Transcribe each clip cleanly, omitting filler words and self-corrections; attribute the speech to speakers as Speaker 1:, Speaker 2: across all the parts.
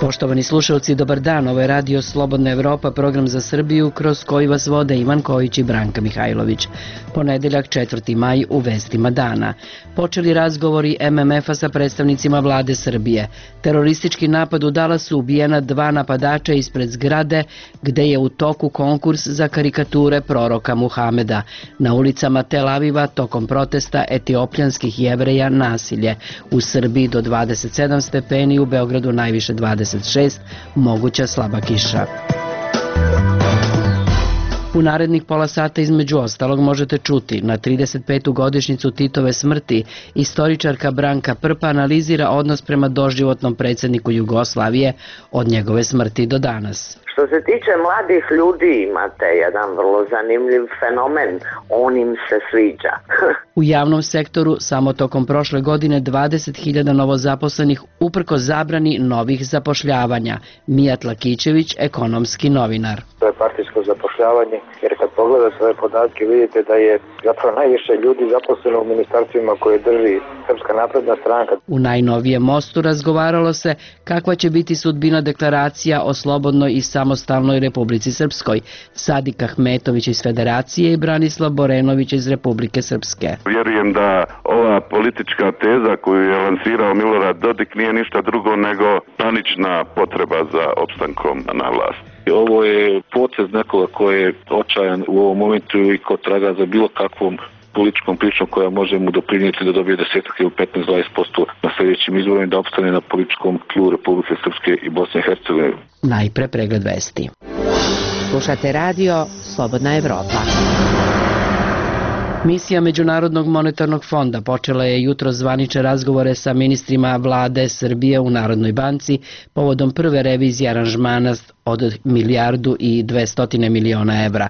Speaker 1: Poštovani slušalci, dobar dan. Ovo je Radio Slobodna Evropa, program za Srbiju kroz koji vas vode Ivan Kojić i Branka Mihajlović. Ponedeljak 4. maj u vestima dana. Počeli razgovori MMF-a sa predstavnicima vlade Srbije. Teroristički napad u Dallasu, ubijena 2 napadača ispred zgrade gde je u toku konkurs za karikature proroka Muhameda. Na ulicama Tel Aviva tokom protesta etiopljanskih Jevreja nasilje. U Srbiji do 27 stepeni, u Beogradu najviše 26, moguća slaba kiša. U narednih pola sata između ostalog možete čuti na 35. godišnjicu Titove smrti istoričarka Branka Prpa analizira odnos prema doživotnom predsjedniku Jugoslavije od njegove smrti do danas.
Speaker 2: Što se tiče mladih ljudi, imate jedan vrlo zanimljiv fenomen, on im se sviđa.
Speaker 1: U javnom sektoru samo tokom prošle godine 20.000 novozaposlenih uprko zabrani novih zapošljavanja. Mijat Lakićević, ekonomski novinar.
Speaker 3: To je partijsko zapošljavanje, jer kad pogledate ove podatke vidite da je zapravo najviše ljudi zaposleno u ministarstvima koje drži Srpska napredna stranka.
Speaker 1: U najnovijem mostu razgovaralo se kakva će biti sudbina deklaracija o slobodnoj i samostalnoj Republici Srpskoj. Sadik Ahmetović iz Federacije i Branislav Borenović iz Republike Srpske.
Speaker 4: Vjerujem da ova politička teza koju je lansirao Milorad Dodik nije ništa drugo nego panična potreba za opstankom na vlast.
Speaker 5: Ovo je potez nekoga koji je očajan u ovom momentu i ko traga za bilo kakvom političkom pričom koja može mu doprinijeti da dobije 10 ili 15-20% na sljedećim izborima i da opstane na političkom tlu Republike Srpske i Bosne i Hercegovine.
Speaker 1: Najpre pregled vesti.
Speaker 6: Slušate radio Slobodna Evropa.
Speaker 1: Misija Međunarodnog monetarnog fonda počela je jutro zvanične razgovore sa ministrima vlade Srbije u Narodnoj banci povodom prve revizije aranžmana od 1,2 milijarde evra.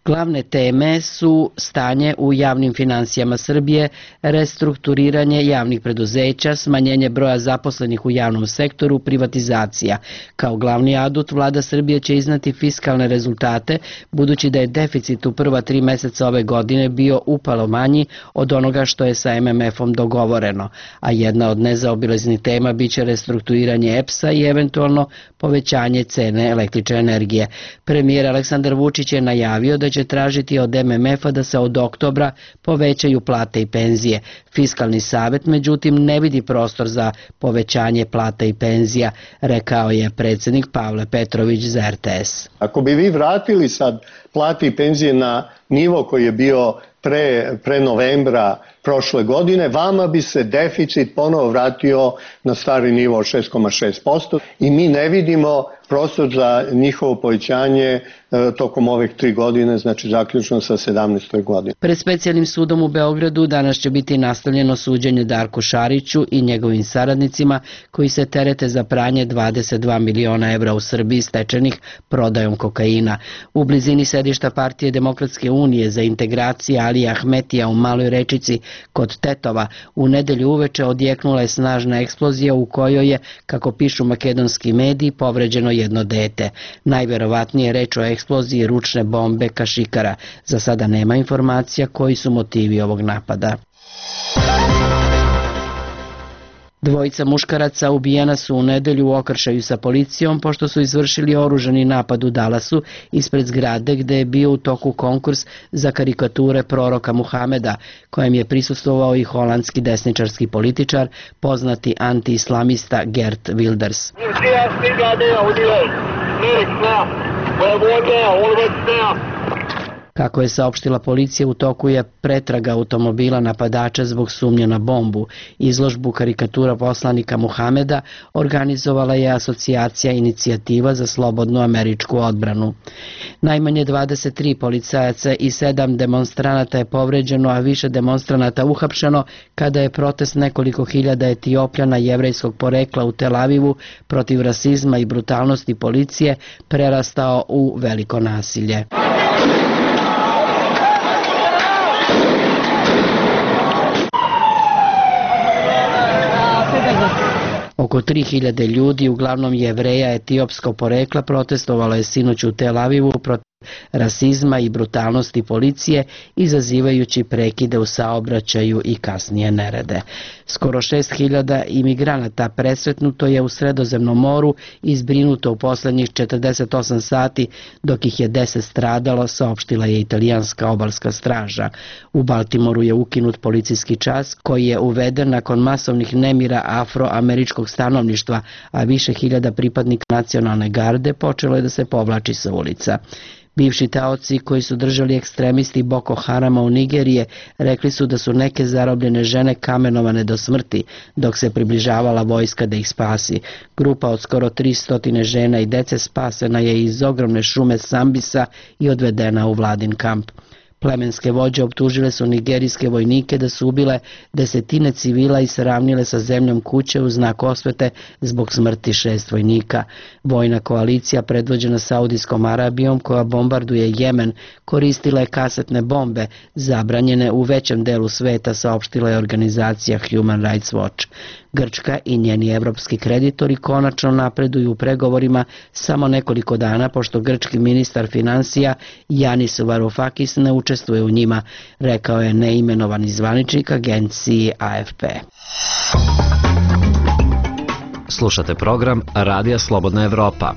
Speaker 1: Glavne teme su stanje u javnim finansijama Srbije, restrukturiranje javnih preduzeća, smanjenje broja zaposlenih u javnom sektoru, privatizacija. Kao glavni adut, vlada Srbije će iznati fiskalne rezultate, budući da je deficit u prva 3 meseca ove godine bio upalo manji od onoga što je sa MMF-om dogovoreno, a jedna od nezaobilaznih tema biće restrukturiranje EPS-a i eventualno povećanje cene električne energije. Premijer Aleksandar Vučić je najavio da će tražiti od MMF-a da se od oktobra povećaju plate i penzije. Fiskalni savet, međutim, ne vidi prostor za povećanje plata i penzija, rekao je predsjednik Pavle Petrović za RTS.
Speaker 7: Ako bi vi vratili sad plate i penzije na nivo koji je bio pre novembra prošle godine, vama bi se deficit ponovo vratio na stari nivo od 6,6% i mi ne vidimo prostor za njihovo povećanje tokom ovih 3 godine, znači zaključno sa 17. godinom.
Speaker 1: Pred specijalnim sudom u Beogradu danas će biti nastavljeno suđenje Darku Šariću i njegovim saradnicima koji se terete za pranje 22 miliona evra u Srbiji stečenih prodajom kokaina. U blizini sedišta Partije Demokratske unije za integracije Alija Ahmetija u Maloj Rečici kod Tetova u nedelju uveče odjeknula je snažna eksplozija u kojoj je, kako pišu makedonski mediji, povređeno jedno dete. Najverovatnije je reč o eksploziji ručne bombe kašikara. Za sada nema informacija koji su motivi ovog napada. Dvojica muškaraca ubijena su u nedelju u okršaju sa policijom pošto su izvršili oružani napad u Dallasu ispred zgrade gde je bio u toku konkurs za karikature proroka Muhameda, kojem je prisustvovao i holandski desničarski političar, poznati anti-islamista Geert Wilders. Kako je saopštila policija, u toku je pretraga automobila napadača zbog sumnje na bombu. Izložbu karikatura poslanika Muhameda organizovala je asocijacija Inicijativa za slobodnu američku odbranu. Najmanje 23 policajaca i 7 demonstranata je povređeno, a više demonstranata uhapšeno kada je protest nekoliko hiljada Etiopljana jevrejskog porekla u Tel Avivu protiv rasizma i brutalnosti policije prerastao u veliko nasilje. Oko 3000 ljudi, uglavnom Jevreja etiopskog porekla, protestovalo je sinoć u Tel Avivu protiv rasizma i brutalnosti policije, izazivajući prekide u saobraćaju i kasnije nerede. Skoro 6.000 imigranata presretnuto je u Sredozemnom moru i zbrinuto u poslednjih 48 sati, dok ih je 10 stradalo, saopštila je italijanska obalska straža. U Baltimoru je ukinut policijski čas koji je uveden nakon masovnih nemira afroameričkog stanovništva, a više hiljada pripadnika nacionalne garde počelo je da se povlači sa ulica. Bivši taoci koji su držali ekstremisti Boko Harama u Nigerije rekli su da su neke zarobljene žene kamenovane do smrti dok se približavala vojska da ih spasi. Grupa od skoro 300 žena i dece spasena je iz ogromne šume Sambisa i odvedena u vladin kamp. Plemenske vođe optužile su nigerijske vojnike da su ubile desetine civila i sravnile sa zemljom kuće u znak osvete zbog smrti 6 vojnika. Vojna koalicija predvođena Saudijskom Arabijom koja bombarduje Jemen koristila je kasetne bombe zabranjene u većem delu sveta, saopštila je organizacija Human Rights Watch. Grčka i njeni evropski kreditori konačno napreduju u pregovorima samo nekoliko dana pošto grčki ministar finansija Yanis Varoufakis ne učestvuje u njima, rekao je neimenovani zvaničnik agenciji AFP.
Speaker 8: Slušate program Radija Slobodna Evropa.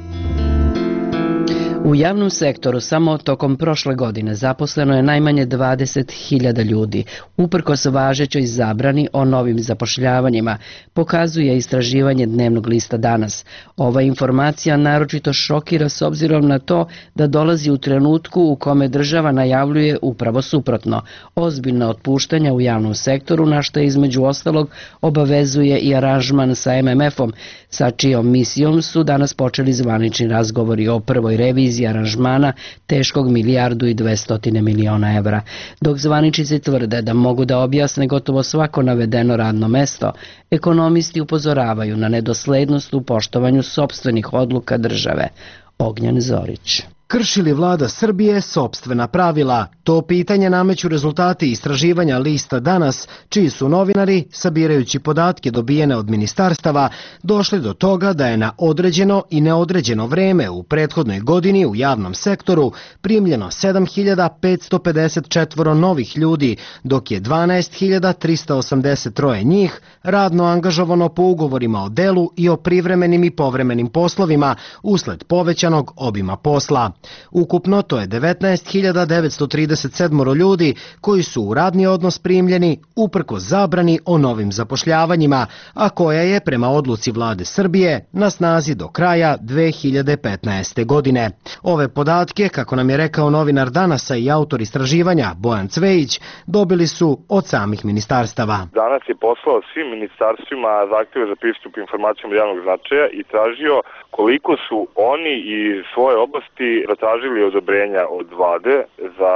Speaker 1: U javnom sektoru samo tokom prošle godine zaposleno je najmanje 20.000 ljudi. Uprkos važećoj zabrani o novim zapošljavanjima, pokazuje istraživanje dnevnog lista Danas. Ova informacija naročito šokira s obzirom na to da dolazi u trenutku u kome država najavljuje upravo suprotno. Ozbiljna otpuštanja u javnom sektoru, na što između ostalog obavezuje i aranžman sa MMF-om, sa čijom misijom su danas počeli zvanični razgovori o prvoj reviziji aranžmana teškog 1.200 miliona evra. Dok zvaničnici tvrde da mogu da objasne gotovo svako navedeno radno mesto, ekonomisti upozoravaju na nedoslednost u poštovanju sopstvenih odluka države. Ognjen Zorić.
Speaker 9: Krši li vlada Srbije sopstvena pravila? To pitanje nameću rezultati istraživanja lista Danas, čiji su novinari, sabirajući podatke dobijene od ministarstava, došli do toga da je na određeno i neodređeno vreme u prethodnoj godini u javnom sektoru primljeno 7.554 novih ljudi, dok je 12.383 njih radno angažovano po ugovorima o delu i o privremenim i povremenim poslovima usled povećanog obima posla. Ukupno to je 19.937 ljudi koji su u radni odnos primljeni uprkos zabrani o novim zapošljavanjima, a koja je prema odluci vlade Srbije na snazi do kraja 2015. godine. Ove podatke, kako nam je rekao novinar Danasa i autor istraživanja Bojan Cvejić, dobili su od samih ministarstava.
Speaker 10: Danas je poslao svim ministarstvima zahtjeve za pristup informacijama od javnog značaja i tražio koliko su oni i svoje oblasti zatražili odobrenja od vlade za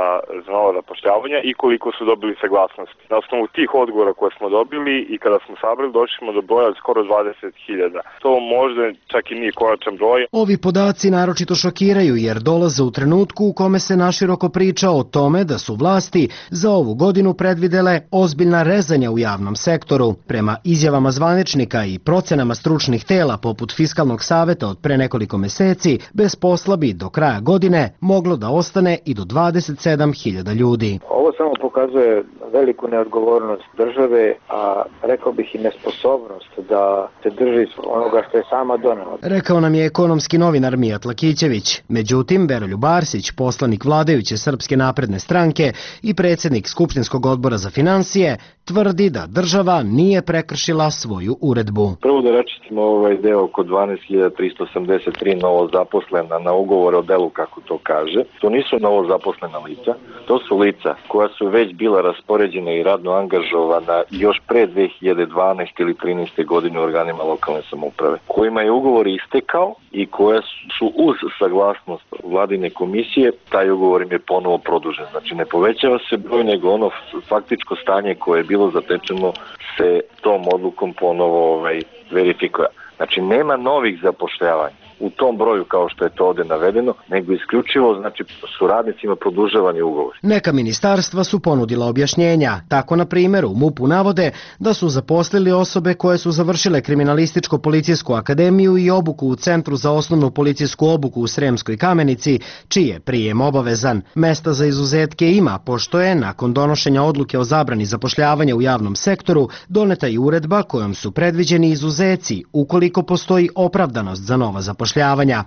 Speaker 10: novo zapošljavanje i koliko su dobili saglasnost. Na osnovu tih odgovora koje smo dobili i kada smo sabrali, došli smo do broja skoro 20.000. To možda čak i nije konačan broj.
Speaker 9: Ovi podaci naročito šokiraju jer dolaze u trenutku u kome se naširoko priča o tome da su vlasti za ovu godinu predvidele ozbiljna rezanja u javnom sektoru. Prema izjavama zvaničnika i procenama stručnih tela poput Fiskalnog saveta od pre nekoliko meseci, bez posla bi do kraja godine moglo da ostane i do 27.000 ljudi.
Speaker 3: Ovo samo pokazuje veliku neodgovornost države, a rekao bih i nesposobnost da se drži onoga što je sama donela.
Speaker 9: Rekao nam je ekonomski novinar Mijat Lakićević. Međutim, Veroljub Arsić, poslanik vladajuće Srpske napredne stranke i predsjednik Skupštinskog odbora za finansije, tvrdi da država nije prekršila svoju uredbu.
Speaker 5: Prvo da račistimo ovaj deo oko 12.383 novo zaposlena na ugovor o delu, kako to kaže. To nisu novo zaposlena lica, to su lica koja su već bila raspoređena i radno angažovana još pre 2012. ili 13. godine u organima lokalne samouprave, kojima je ugovor istekao i koja su uz saglasnost vladine komisije, taj ugovor im je ponovo produžen. Znači ne povećava se broj, nego ono faktičko stanje koje je bilo zatečeno se tom odlukom ponovo verifikuje. Znači nema novih zapošljavanja. u tom broju kao što je to ovde navedeno, nego isključivo znači su radnicima produžavani ugovori.
Speaker 9: Neka ministarstva su ponudila objašnjenja. Tako, na primjer, u MUP-u navode da su zaposlili osobe koje su završile Kriminalističko-policijsku akademiju i obuku u Centru za osnovnu policijsku obuku u Sremskoj Kamenici, čiji je prijem obavezan. Mesta za izuzetke ima, pošto je, nakon donošenja odluke o zabrani zapošljavanja u javnom sektoru, doneta i uredba kojom su predviđeni izuzeci ukoliko postoji opravdanost za nova zapošljavanja.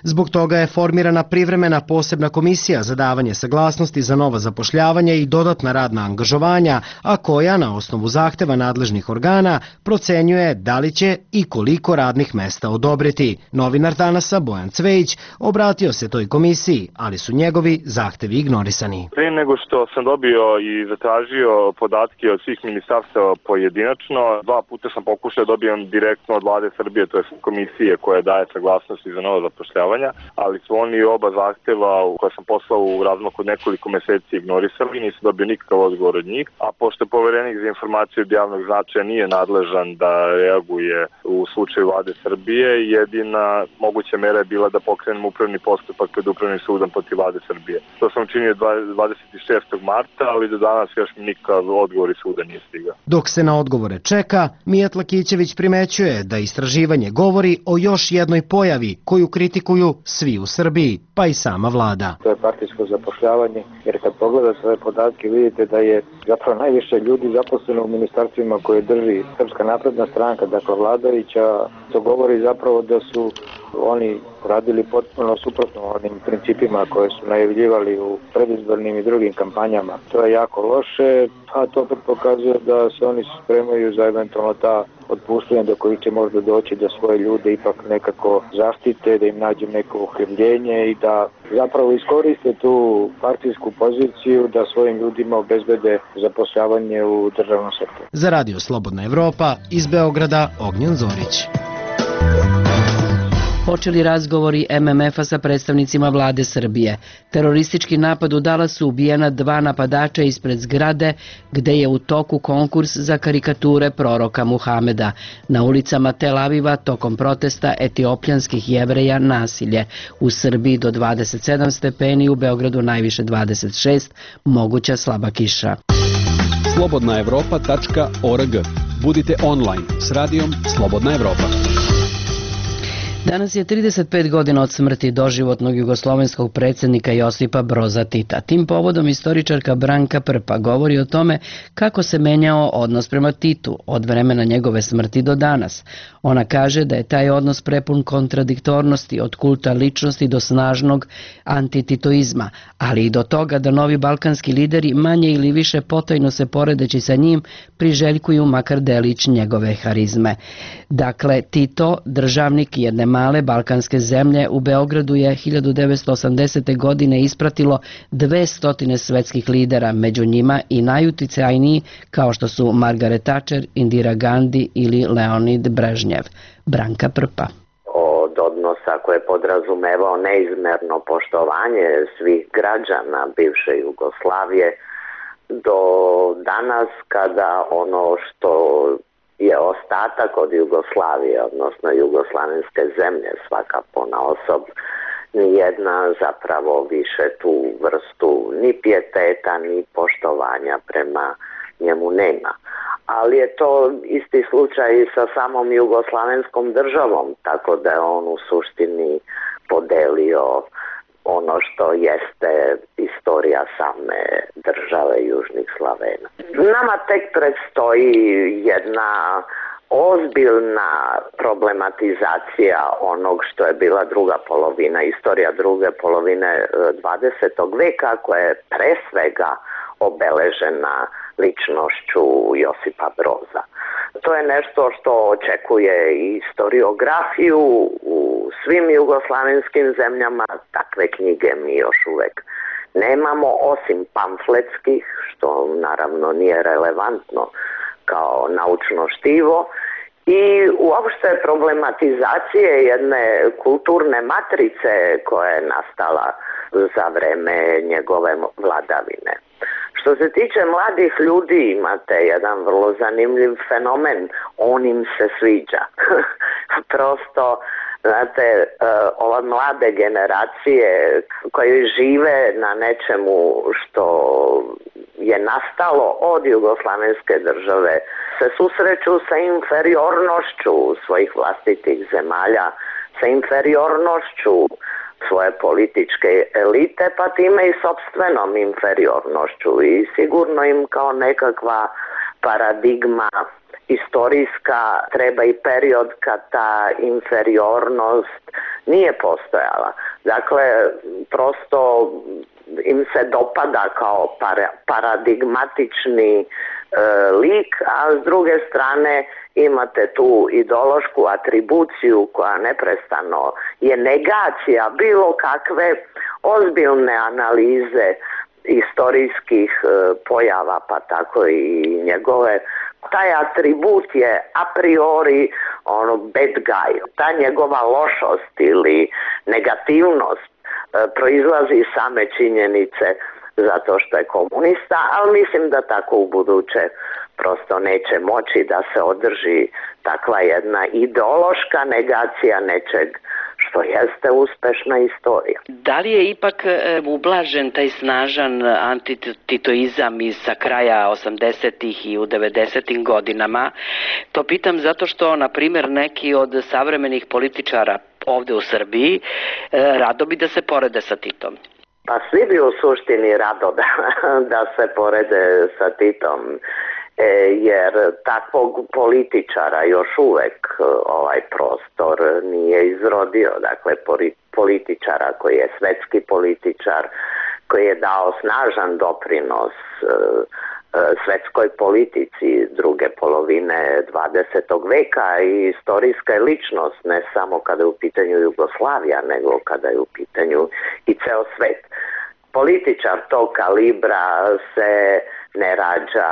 Speaker 9: Zbog toga je formirana privremena posebna komisija za davanje saglasnosti za nova zapošljavanja i dodatna radna angažovanja, a koja na osnovu zahteva nadležnih organa procenjuje da li će i koliko radnih mesta odobriti. Novinar Danasa Bojan Cvejić obratio se toj komisiji, ali su njegovi zahtevi ignorisani.
Speaker 10: Prije nego što sam dobio i zatražio podatke od svih ministarstava pojedinačno, 2 puta sam pokušao da dobijem direktno od Vlade Srbije, to je komisije koja daje saglasnosti za nova zapošljavanja, ali su oni oba zahteva koja sam poslao u razmaku od nekoliko meseci ignorisali, nisam dobio nikakav odgovor od njih, a pošto Poverenik za informaciju od javnog značaja nije nadležan da reaguje u slučaju Vlade Srbije, jedina moguća mera je bila da pokrenem upravni postupak pred Upravnim sudom protiv Vlade Srbije. To sam učinio 26. marta, ali do danas još nikakav odgovor iz suda nije stigao.
Speaker 9: Dok se na odgovore čeka, Mijat Lakićević primećuje da istraživanje govori o još jednoj pojavi koju kritikuju svi u Srbiji, pa i sama vlada.
Speaker 3: To je partijsko zapošljavanje, jer kad pogledate ove podatke vidite da je zapravo najviše ljudi zaposleno u ministarstvima koje drži Srpska napredna stranka, dakle vladajuća. To govori zapravo da su oni radili potpuno suprotno onim principima koje su najavljivali u predizbornim i drugim kampanjama. To je jako loše, a to pokazuje da se oni spremaju za eventualno ta otpuštanja do kojih će možda doći da svoje ljude ipak nekako zaštite, da im nađu neko uhljebljenje i da zapravo iskoriste tu partijsku poziciju da svojim ljudima obezbede zapošljavanje u državnom sektoru.
Speaker 9: Za Radio Slobodna Evropa iz Beograda Ognjen Zorić.
Speaker 1: Počeli razgovori MMF-a sa predstavnicima vlade Srbije. Teroristički napad u Dallasu, ubijena 2 napadača ispred zgrade gde je u toku konkurs za karikature proroka Muhameda. Na ulicama Tel Aviva tokom protesta etiopljanskih Jevreja nasilje. U Srbiji do 27 stepeni, u Beogradu najviše 26, moguća slaba kiša.
Speaker 11: slobodnaevropa.org. Budite online s radijom Slobodna Evropa.
Speaker 1: Danas je 35 godina od smrti doživotnog jugoslovenskog predsjednika Josipa Broza Tita. Tim povodom istoričarka Branka Prpa govori o tome kako se menjao odnos prema Titu od vremena njegove smrti do danas. Ona kaže da je taj odnos prepun kontradiktornosti, od kulta ličnosti do snažnog antititoizma, ali i do toga da novi balkanski lideri manje ili više potajno se poredeći sa njim priželjkuju makar delić njegove harizme. Dakle, Tito, državnik jedne male balkanske zemlje, u Beogradu je 1980. godine ispratilo 200 svetskih lidera, među njima i najuticajniji kao što su Margaret Thatcher, Indira Gandhi ili Leonid Brežnjev. Branka Prpa.
Speaker 2: Od odnosa koje je podrazumevao neizmerno poštovanje svih građana bivše Jugoslavije do danas kada ono što je ostatak od Jugoslavije, odnosno jugoslavenske zemlje, svaka ponaosob, nijedna zapravo više tu vrstu ni pijeteta ni poštovanja prema njemu nema. Ali je to isti slučaj i sa samom jugoslavenskom državom, tako da je on u suštini podelio ono što jeste istorija same države Južnih Slavena. Nama tek predstoji jedna ozbiljna problematizacija onog što je bila druga polovina, istorija druge polovine 20. veka, koja je pre svega obeležena ličnošću Josipa Broza. To je nešto što očekuje i historiografiju u svim jugoslavenskim zemljama. Takve knjige mi još uvek nemamo, osim pamfletskih, što naravno nije relevantno kao naučno štivo, i uopšte problematizacije jedne kulturne matrice koja je nastala za vreme njegove vladavine. Što se tiče mladih ljudi, imate jedan vrlo zanimljiv fenomen, on im se sviđa. Prosto Znate, ove mlade generacije koje žive na nečemu što je nastalo od jugoslavenske države se susreću sa inferiornošću svojih vlastitih zemalja, sa inferiornošću svoje političke elite, pa time i sopstvenom inferiornošću i sigurno im kao nekakva paradigma istorijska treba i period kad ta inferiornost nije postojala. Dakle, prosto im se dopada kao paradigmatični lik, a s druge strane imate tu ideološku atribuciju koja neprestano je negacija bilo kakve ozbiljne analize istorijskih pojava, pa tako i njegove. Taj atribut je a priori bad guy. Ta njegova lošost ili negativnost proizlazi iz same činjenice zato što je komunista, ali mislim da tako u buduće prosto neće moći da se održi takva jedna ideološka negacija nečeg što jeste uspešna istorija.
Speaker 1: Da li je ipak ublažen taj snažan antititoizam iz sa kraja 80-ih i u 90-im godinama? To pitam zato što, na primjer, neki od savremenih političara ovde u Srbiji rado bi da se porede sa Titom.
Speaker 2: Pa svi bi u suštini rado da se porede sa Titom, jer takvog političara još uvek ovaj prostor nije izrodio. Dakle, političara koji je svetski političar, koji je dao snažan doprinos svetskoj politici druge polovine 20. veka i istorijska je ličnost, ne samo kada je u pitanju Jugoslavija, nego kada je u pitanju i ceo svet. Političar tog kalibra se ne rađa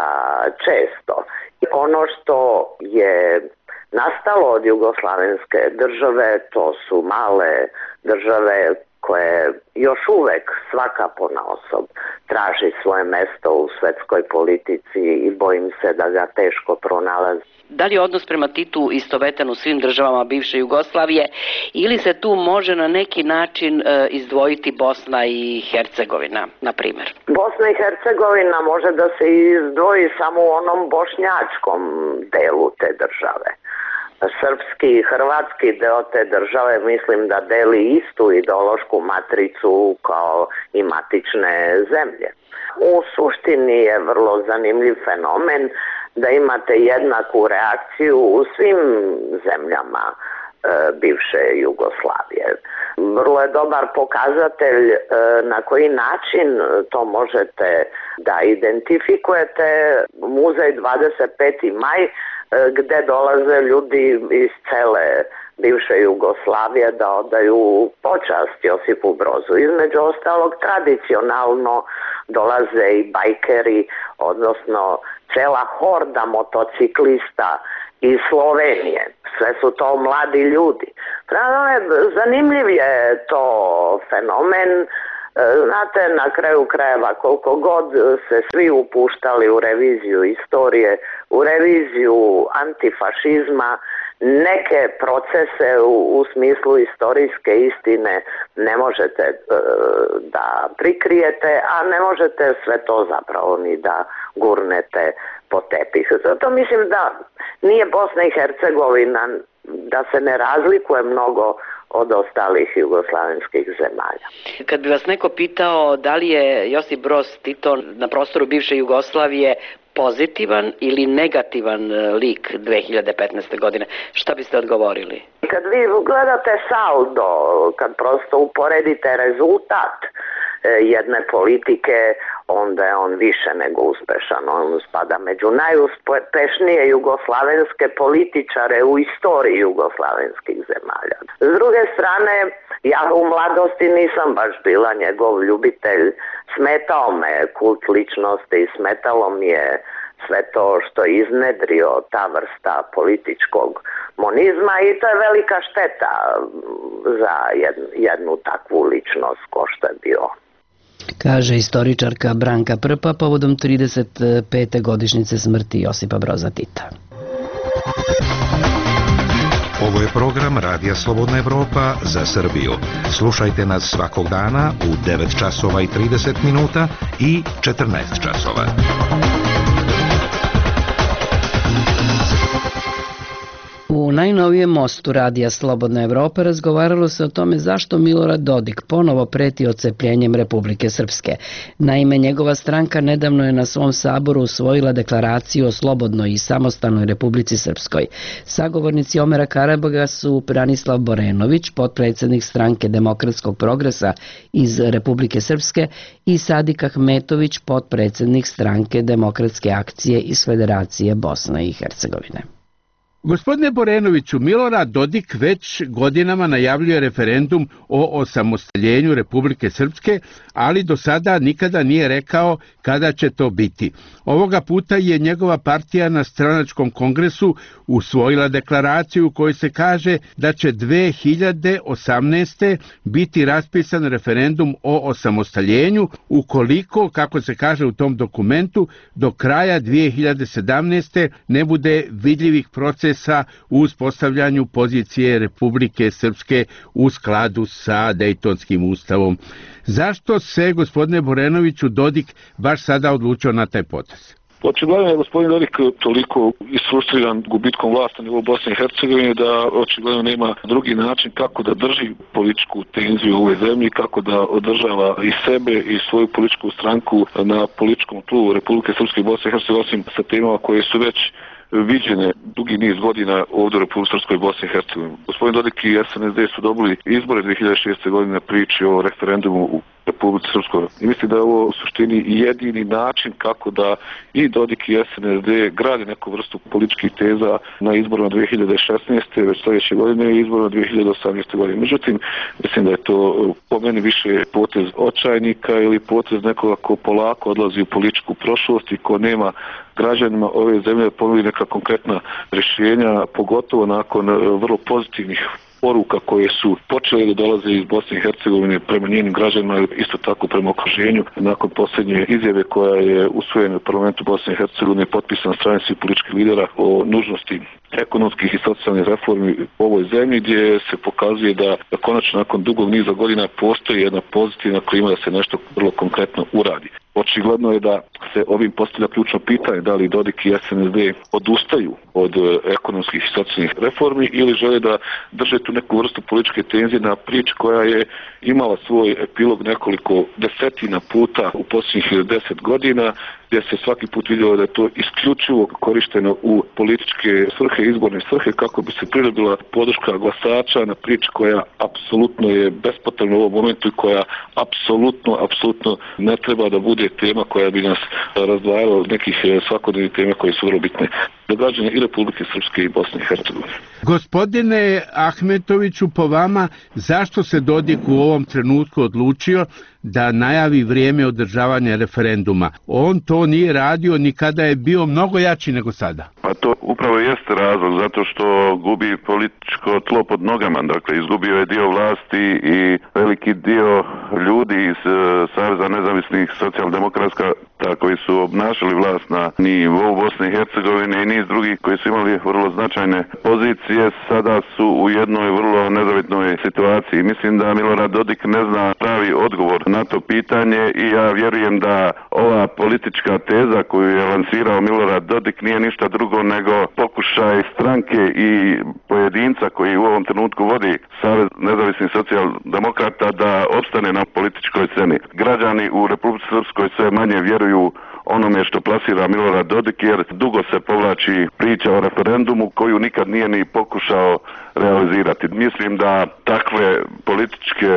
Speaker 2: često. Ono što je nastalo od jugoslavenske države, to su male države koje još uvek svaka ponaosob traži svoje mesto u svetskoj politici i bojim se da ga teško pronalazi.
Speaker 1: Da li je odnos prema Titu istovetan u svim državama bivše Jugoslavije ili se tu može na neki način izdvojiti Bosna i Hercegovina, na primjer?
Speaker 2: Bosna i Hercegovina može da se izdvoji samo u onom bošnjačkom delu te države. Srpski i hrvatski deo te države mislim da deli istu ideološku matricu kao i matične zemlje. U suštini je vrlo zanimljiv fenomen da imate jednaku reakciju u svim zemljama bivše Jugoslavije. Vrlo je dobar pokazatelj na koji način to možete da identifikujete muzej 25. maj gde dolaze ljudi iz cele bivše Jugoslavije da odaju počast Josipu Brozu. Između ostalog, tradicionalno dolaze i bajkeri, odnosno cela horda motociklista iz Slovenije. Sve su to mladi ljudi. Zanimljiv je to fenomen. Znate, na kraju krajeva koliko god se svi upuštali u reviziju istorije, u reviziju antifašizma, neke procese u smislu istorijske istine ne možete da prikrijete, a ne možete sve to zapravo ni da gurnete po tepih. Zato mislim da nije Bosna i Hercegovina, da se ne razlikuje mnogo od ostalih jugoslavenskih zemalja.
Speaker 1: Kad bi vas neko pitao da li je Josip Broz Tito na prostoru bivše Jugoslavije pozitivan ili negativan lik 2015. godine, šta biste odgovorili?
Speaker 2: Kad vi gledate saldo, kad prosto uporedite rezultat jedne politike, onda je on više nego uspešan. On spada među najuspešnije jugoslavenske političare u istoriji jugoslavenskih zemalja. S druge strane, ja u mladosti nisam baš bila njegov ljubitelj. Smetao me kult ličnosti, smetalo mi je sve to što je iznedrio ta vrsta političkog monizma i to je velika šteta za jednu takvu ličnost ko što je bio.
Speaker 1: Kaže istoričarka Branka Prpa povodom 35. godišnjice smrti Josipa Broza Tita.
Speaker 12: Ovo je program Radija Slobodna Evropa za Srbiju. Slušajte nas svakog dana u 9 časova i 30 minuta i 14 časova.
Speaker 1: U najnovijem mostu Radija Slobodna Evropa razgovaralo se o tome zašto Milorad Dodik ponovo preti odcepljenjem Republike Srpske. Naime, njegova stranka nedavno je na svom saboru usvojila deklaraciju o slobodnoj i samostalnoj Republici Srpskoj. Sagovornici Omera Karabaga su Branislav Borenović, potpredsjednik stranke Demokratskog progresa iz Republike Srpske, i Sadik Ahmetović, potpredsjednik stranke Demokratske akcije iz Federacije Bosne i Hercegovine.
Speaker 13: Gospodine Borenoviću, Milorad Dodik već godinama najavljuje referendum o osamostaljenju Republike Srpske, ali do sada nikada nije rekao kada će to biti. Ovoga puta je njegova partija na stranačkom kongresu usvojila deklaraciju u kojoj se kaže da će 2018. biti raspisan referendum o osamostaljenju ukoliko, kako se kaže u tom dokumentu, do kraja 2017. ne bude vidljivih procesa u uspostavljanju pozicije Republike Srpske u skladu sa Dejtonskim ustavom. Zašto se, gospodine Borenoviću, Dodik baš sada odlučio na taj potez?
Speaker 5: Očigledno je gospodin Dodik toliko isfrustriran gubitkom vlasti na nivou Bosne i Hercegovine da očigledno nema drugi način kako da drži političku tenziju u ovoj zemlji, kako da održava i sebe i svoju političku stranku na političkom tlu Republike Srpske i Bosne i Hercegovine, osim sa temama koje su već viđene dugi niz godina ovdje u Republike Srpskoj i Bosni i Hercegovini. Gospodin Dodik i SNSD su dobili izbore 2006. godine priči o referendumu u Republike Srpskoj. I mislim da je ovo u suštini jedini način kako da i Dodik i SNSD grade neku vrstu političkih teza na izborima 2016. već sljedeće godine i izborima 2018. godine. Međutim, mislim da je to po meni više potez očajnika ili potez nekoga ko polako odlazi u političku prošlost i ko nema građanima ove zemlje ponudi neka konkretna rješenja, pogotovo nakon vrlo pozitivnih poruka koje su počele da dolaze iz Bosne i Hercegovine prema njenim građanima, isto tako prema okruženju. Nakon posljednje izjave koja je usvojena u parlamentu Bosne i Hercegovine potpisana strane svih političkih lidera o nužnosti ekonomskih i socijalnih reformi u ovoj zemlji, gdje se pokazuje da konačno nakon dugog niza godina postoji jedna pozitivna klima da se nešto vrlo konkretno uradi. Očigledno je da se ovim postavlja ključno pitanje da li Dodik i SNSD odustaju od ekonomskih i socijalnih reformi ili žele da drže tu neku vrstu političke tenzije na prič koja je imala svoj epilog nekoliko desetina puta u posljednjih 10 godina, gdje se svaki put vidjelo da je to isključivo korišteno u političke svrhe, izborne svrhe, kako bi se pridobila podrška glasača na prič koja apsolutno je bespotrebna u ovom momentu i koja apsolutno ne treba da bude tema koja bi nas razdvajala od nekih svakodnevnih tema koje su vrlo bitne za građane i Republike Srpske i Bosne i Hercegovine.
Speaker 13: Gospodine Ahmetoviću, po vama, zašto se Dodik u ovom trenutku odlučio da najavi vrijeme održavanja referenduma? On to nije radio ni kada je bio mnogo jači nego sada.
Speaker 4: Pa to upravo jeste razlog, zato što gubi političko tlo pod nogama. Dakle, izgubio je dio vlasti i veliki dio ljudi iz Saveza nezavisnih socijaldemokratska koji su obnašali vlast na nivou Bosne i Hercegovine i niz drugih koji su imali vrlo značajne pozicije, sada su u jednoj vrlo nezavitnoj situaciji. Mislim da Milorad Dodik ne zna pravi odgovor na to pitanje i ja vjerujem da ova politička teza koju je lansirao Milorad Dodik nije ništa drugo nego pokušaj stranke i pojedinca koji u ovom trenutku vodi Savez nezavisnih socijaldemokrata da opstane na političkoj sceni. Građani u Republici Srpskoj sve manje vjeruju onome što plasira Milorad Dodik, jer dugo se povlači priča o referendumu koju nikad nije ni pokušao realizirati. Mislim da takve političke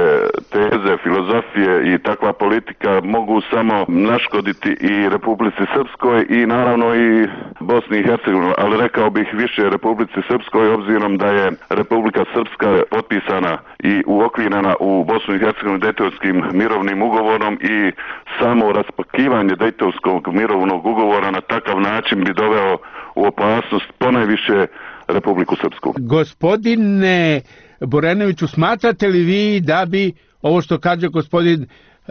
Speaker 4: teze, filozofije i takva politika mogu samo naškoditi i Republici Srpskoj i naravno i Bosni i Hercegovini, ali rekao bih više Republici Srpskoj obzirom da je Republika Srpska potpisana i uokvirena u Bosnu i Hercegovini Dejtonskim mirovnim ugovorom i samo raspakivanje Dejtonskog mirovnog ugovora na takav način bi doveo u opasnost ponajviše Republiku Srpsku.
Speaker 13: Gospodine Borenoviću, smatrate li vi da bi ovo što kaže gospodin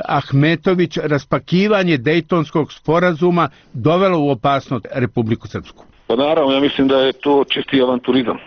Speaker 13: Ahmetović, raspakivanje Dejtonskog sporazuma dovelo u opasnost Republiku Srpsku?
Speaker 5: Pa naravno, ja mislim da je to čisti avanturizam.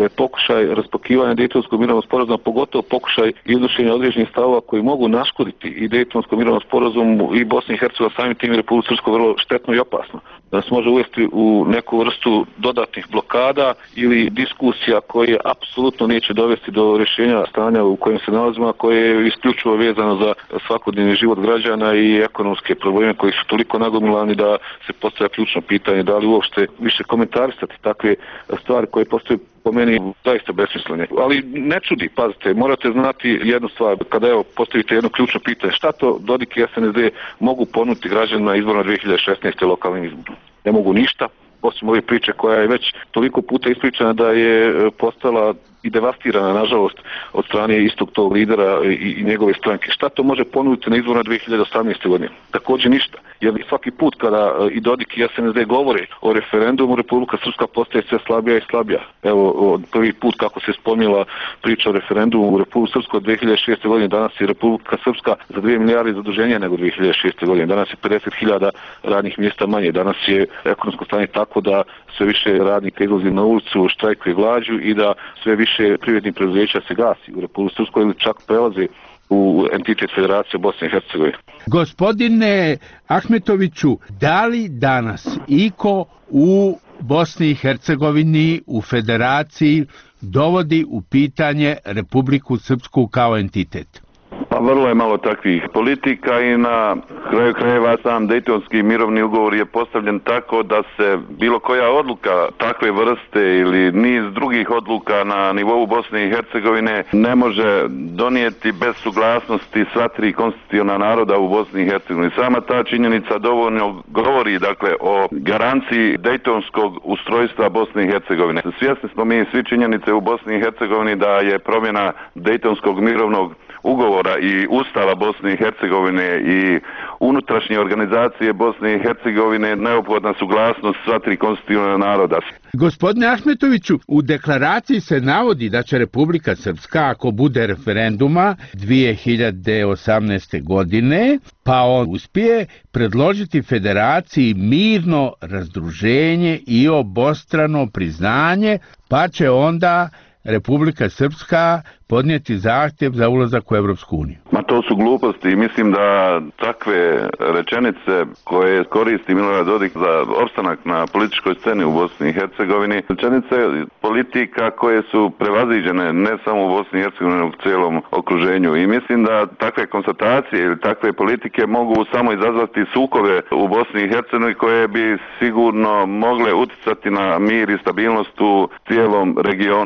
Speaker 5: pokušaj raspakivanja Dejtonskog mirovnog sporazuma, pogotovo pokušaj iznošenja određenih stavova koji mogu naškoditi i Dejtonskom mirovnom sporazumu i Bosni i Hercegovini, samim tim i Republiku Srpsku vrlo štetno i opasno. Da nas može uvesti u neku vrstu dodatnih blokada ili diskusija koje apsolutno neće dovesti do rješenja stanja u kojem se nalazimo, a koje je isključivo vezano za svakodnevni život građana i ekonomske probleme koji su toliko nagomilani da se postavlja ključno pitanje da li uopšte više komentarisati takve stvari koje postaju po meni zaista besmislene. Ali ne čudi, pazite, morate znati jednu stvar, kada postavite jedno ključno pitanje, šta to Dodik i SNSD mogu ponuditi građanima izborima 2016. lokalnim izborom? Ne mogu ništa, osim ove priče koja je već toliko puta ispričana da je postala i devastirana, nažalost, od strane istog tog lidera i njegove stranke. Šta to može ponuditi na izborima 2018. godine? Također ništa. Jer svaki put kada i Dodik i SNSD govore o referendumu, Republika Srpska postaje sve slabija i slabija. Evo, prvi put kako se spomnila priča o referendumu u Republiku Srpsku od 2006. godine, danas je Republika Srpska za 2 milijarde zaduženja nego 2006. godine. Danas je 50.000 radnih mjesta manje. Danas je ekonomsko stanje tako da sve više radnika izlazi na ulicu, štrajkuje glađu i da sve više privrednih preduzeća se gasi u Republiku Srpskoj ili čak prelazi u entitet Federacije Bosne i Hercegovine.
Speaker 13: Gospodine Ahmetoviću, da li danas iko u Bosni i Hercegovini u Federaciji dovodi u pitanje Republiku Srpsku kao entitet?
Speaker 4: Pa vrlo je malo takvih politika i na kraju krajeva sam Dejtonski mirovni ugovor je postavljen tako da se bilo koja odluka takve vrste ili niz drugih odluka na nivou Bosne i Hercegovine ne može donijeti bez suglasnosti sva tri konstitutivna naroda u Bosni i Hercegovini. Sama ta činjenica dovoljno govori dakle o garanciji Dejtonskog ustrojstva Bosne i Hercegovine. Svjesni smo mi svi činjenice u Bosni i Hercegovini da je promjena Dejtonskog mirovnog ugovora i Ustava Bosne i Hercegovine i unutrašnje organizacije Bosne i Hercegovine neophodna suglasnost sva tri konstitutivna naroda.
Speaker 13: Gospodine Ahmetoviću, u deklaraciji se navodi da će Republika Srpska, ako bude referenduma 2018. godine, pa on uspije, predložiti federaciji mirno razdruženje i obostrano priznanje, pa će onda Republika Srpska podnijeti zahtjev za ulazak u Evropsku uniju.
Speaker 4: Ma to su gluposti i mislim da takve rečenice koje koristi Milorad Dodik za opstanak na političkoj sceni u Bosni i Hercegovini, rečenice politika koje su prevaziđene ne samo u Bosni i Hercegovini, nego u cijelom okruženju. I mislim da takve konstatacije ili takve politike mogu samo izazvati sukobe u Bosni i Hercegovini koje bi sigurno mogle uticati na mir i stabilnost u cijelom regionu.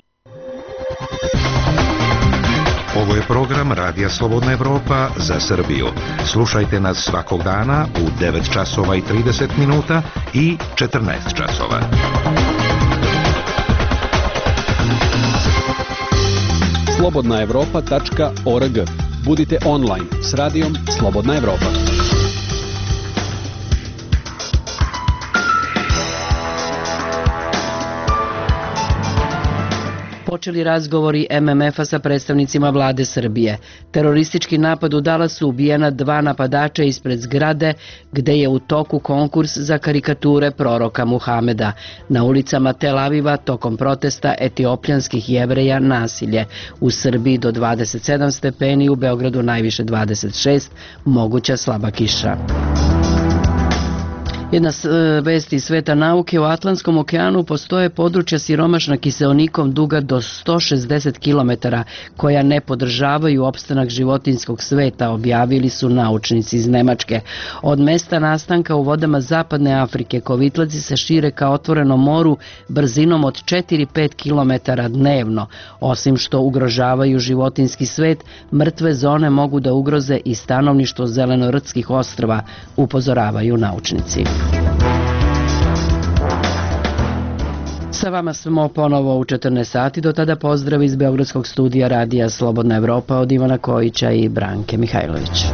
Speaker 12: Ovo je program Radija Slobodna Evropa za Srbiju. Slušajte nas svakog dana u 9 časova i 30 minuta i 14 časova.
Speaker 11: slobodnaevropa.org. Budite online s radijom Slobodna Evropa.
Speaker 1: Počeli razgovori MMF-a sa predstavnicima vlade Srbije. Teroristički napad u Dallasu, ubijena 2 napadača ispred zgrade gde je u toku konkurs za karikature proroka Muhameda. Na ulicama Tel Aviva tokom protesta etiopljanskih Jevreja nasilje. U Srbiji do 27 stepeni, u Beogradu najviše 26, moguća slaba kiša. Jedna vest iz sveta nauke: u Atlantskom okeanu postoje područja siromašna kiseonikom duga do 160 km koja ne podržavaju opstanak životinjskog sveta, objavili su naučnici iz Nemačke. Od mesta nastanka u vodama zapadne Afrike kovitlaci se šire ka otvorenom moru brzinom od 4-5 km dnevno. Osim što ugrožavaju životinjski svet, mrtve zone mogu da ugroze i stanovništvo Zelenorodskih ostrva, upozoravaju naučnici. Sa vama smo ponovo u 14 sati, do tada pozdrav iz Beogradskog studija Radija Slobodna Evropa od Ivana Kojića i Branke Mihajlović.